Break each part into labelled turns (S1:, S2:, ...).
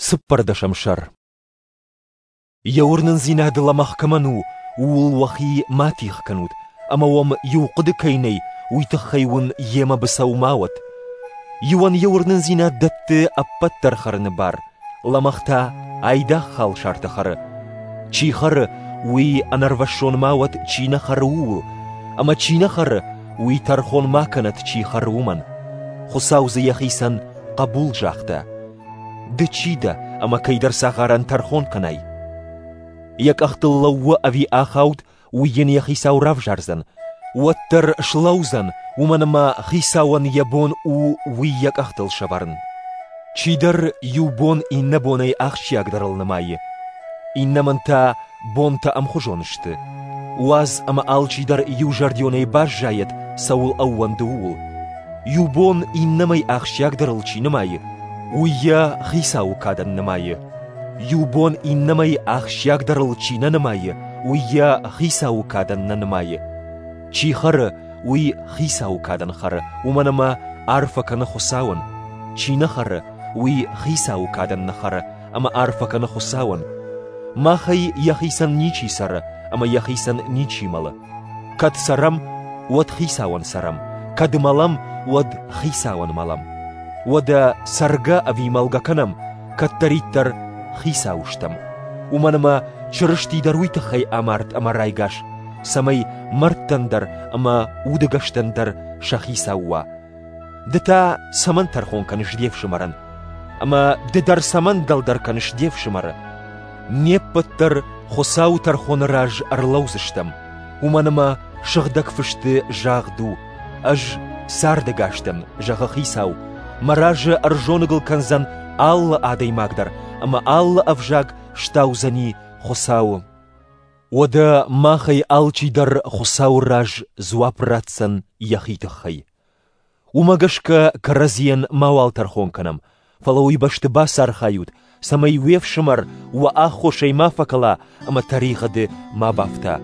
S1: Цыппӕрдӕсӕм сӕр. Йӕ уырнындзинад лӕмӕгъ кӕмӕн у, ууыл уӕхи ма тигъ кӕнут, ӕмӕ уӕм иу хъуыды кӕй нӕй, уый тыххӕй уын йемӕ быцӕу ма уӕд. Иуӕн йӕ уырнындзинад дӕтты ӕппӕт дӕр хӕрыны бар, лӕмӕгъ та айдагъ халсартӕ хӕры. Чи хӕры, уый ӕнӕрвӕссон ма уӕд, чи нӕ хӕры, ууыл, ӕмӕ чи нӕ хӕры, уый тӕрхон ма кӕнӕд, чи хӕры, уымӕн. Хуыцау дзы йӕхицӕн хъӕбул загъта. Ды чи дӕ, ӕмӕ кӕйдӕр цагъарӕн тӕрхон кӕнай? Йӕ къӕхтыл лӕууы ӕви ахауд, уый йын йӕ хицау равзардзӕн. Уӕддӕр слӕудзӕн, уымӕн ӕмӕ хицауӕн йӕ бон у уый йӕ къӕхтыл сӕвӕрын. Чидӕр иу бон иннӕ бонӕй ахсджиагдӕрыл нымайы, иннӕмӕн та бонтӕ ӕмхуызон сты. Уадз ӕмӕ алчидӕр иузӕрдионӕй баззайӕд, цӕуыл ӕууӕнды, ууыл. Иу бон иннӕмӕй ахсджиагдӕрыл чи нымайы, уый йӕ хицауы кадӕн нымайы. Иу бон иннӕмӕй ахсджиагдӕрыл чи нӕ нымайы, уый йӕ хицауы кадӕн нӕ нымайы. Чи хӕры, уый хицауы кадӕн хӕры, уымӕн ӕмӕ арфӕ кӕны Хуыцауӕн. Чи нӕ хӕры, уый хицауы кадӕн нӕ хӕры, ӕмӕ арфӕ кӕны Хуыцауӕн. Махӕй йӕхицӕн ничи цӕры ӕмӕ йӕхицӕн ничи мӕлы. Кӕд цӕрӕм, уӕд Хицауӕн цӕрӕм, кӕд мӕлӕм, уӕд Хицауӕн мӕлӕм. Уӕдӕ цӕргӕ ӕви мӕлгӕ кӕнӕм, кӕддӕриддӕр Хицау стӕм. Уымӕн ӕмӕ Чырысти дӕр уый тыххӕй амард ӕмӕ райгас, цӕмӕй мӕрдтӕн дӕр ӕмӕ удӕгӕстӕн дӕр сӕ хицау уа. Ды та цӕмӕн тӕрхон кӕныс де фсымӕрӕн? Ӕмӕ ды дӕр цӕмӕн дӕлдӕр кӕныс де фсымӕры? Не ппӕт дӕр Хуыцауы тӕрхоны раз ӕрлӕудзыстӕм, уымӕн ӕмӕ Сыгъдӕг Фысты загъд у: Ӕз цардӕгас дӕн, зӕгъы Хицау, мӕ разы ӕрзоныгыл кӕндзӕн алы адӕймаг дӕр ӕмӕ алы ӕвзаг стаудзӕни Хуыцауы. Уӕдӕ махӕй алчидӕр Хуыцауы раз дзуапп ратдзӕн йӕхи тыххӕй. Уымӕ гӕсгӕ кӕрӕдзийӕн мауал тӕрхон кӕнӕм, фӕлӕ уый бӕсты бацархайут, цӕмӕй уе фсымӕр уӕ аххосӕй ма фӕкӕла ӕмӕ тӕригъӕды ма бафта.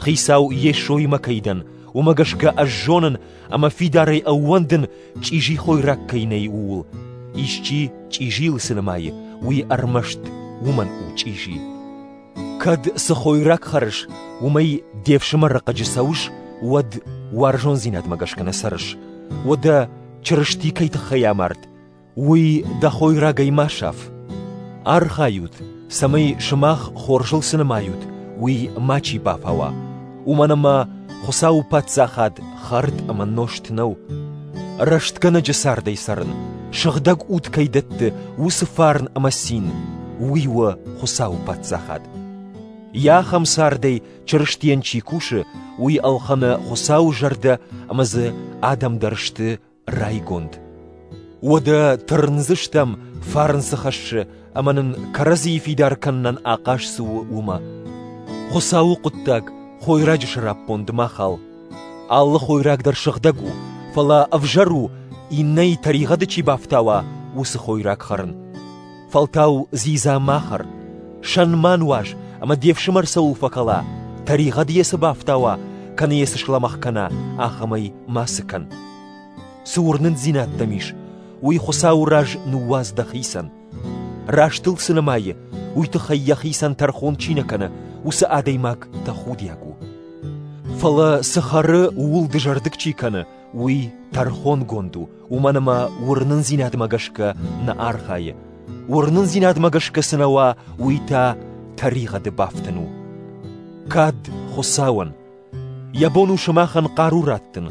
S1: Хицау Йесоимӕ кӕй дӕн, уымӕ гӕсгӕ ӕз зонын ӕмӕ фидарӕй ӕууӕндын, чъизи хойраг кӕй нӕй, ууыл. Исчи чъизийыл цы нымайы, уый ӕрмӕст уымӕн у чъизи. Кӕд цы хойраг хӕрыс, уымӕй де фсымӕры хъыджы цӕуыс, уӕд уарзондзинадмӕ гӕсгӕ нӕ цӕрыс. Уӕдӕ Чырысти кӕй тыххӕй амард, уый дӕ хойрагӕй ма саф. Архайут, цӕмӕй сымах хорзыл цы нымайут, уый мачи бафауа, уымӕн ӕмӕ Хуыцауы Паддзахад хӕрд ӕмӕ нозт нӕу. Рӕстгӕнӕджы цардӕй цӕрын, сыгъдӕг уд кӕй дӕтты, уыцы фарн ӕмӕ цин, уый у Хуыцауы Паддзахад. Йӕ ахӕм цардӕй Чырыстийӕн чи кусы, уый ӕлхӕны Хуыцауы зӕрдӕ ӕмӕ дзы адӕм дӕр сты райгонд. Уӕдӕ тырндзыстӕм, фарн цы хӕссы ӕмӕ нын кӕрӕдзийы фидар кӕнынӕн ахъаз цы у, уымӕ. Хуыцауы хъуыддаг хойраджы сӕраппонд ма хал. Алы хойраг дӕр сыгъдӕг у, фӕлӕ ӕвзӕр у, иннӕйы тӕригъӕды чи бафтауа, уыцы хойраг хӕрын. Фӕлтау дзидза ма хӕр, сӕн ма нуаз ӕмӕ де фсымӕр цӕуыл фӕкӕла, тӕригъӕд йӕ цы бафтауа, кӕнӕ йӕ цы слӕмӕгъ кӕна, ахӕмӕй мацы кӕн. Цы уырнындзинад дӕм ис, уый Хуыцауы раз ныууадз дӕхицӕн. Рӕстыл цы нымайы, уый тыххӕй йӕхицӕн тӕрхон чи нӕ кӕны, уыцы адӕймаг тӕхудиаг у. Фӕлӕ цы хӕры, ууыл дызӕрдыг чи кӕны, уый тӕрхонгонд у, уымӕн ӕмӕ уырнындзинадмӕ гӕсгӕ нӕ архайы. Уырнындзинадмӕ гӕсгӕ цы нӕ уа, уый та тӕригъӕды бафтын у. Кад Хуыцауӕн! Йӕ бон у сымахӕн хъару раттын.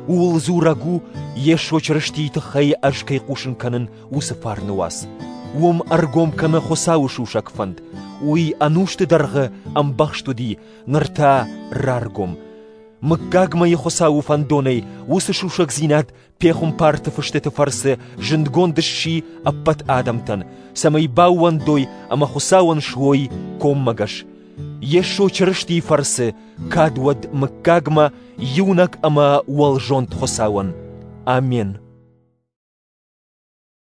S1: Ууыл дзурӕг у, Йесо Чырыстийы тыххӕй ӕз кӕй хъусын кӕнын, уыцы фарны уац. Уым ӕргом кӕны Хуыцауы сусӕг фӕнд. Уый ӕнусты дӕргъы ӕмбӕхст уыди, ныр та раргом. Мыггагмӕйы Хуыцауы фӕндонӕй уыцы сусӕгдзинад пехуымпарты фыстыты фӕрцы зындгонд сси ӕппӕт адӕмтӕн, цӕмӕй баууӕндой ӕмӕ Хуыцауӕн суой коммӕгӕс. Йесо Чырыстийы фӕрцы кад уӕд мыггагмӕ иунӕг ӕмӕ уӕлзонд Хуыцауӕн. Амен.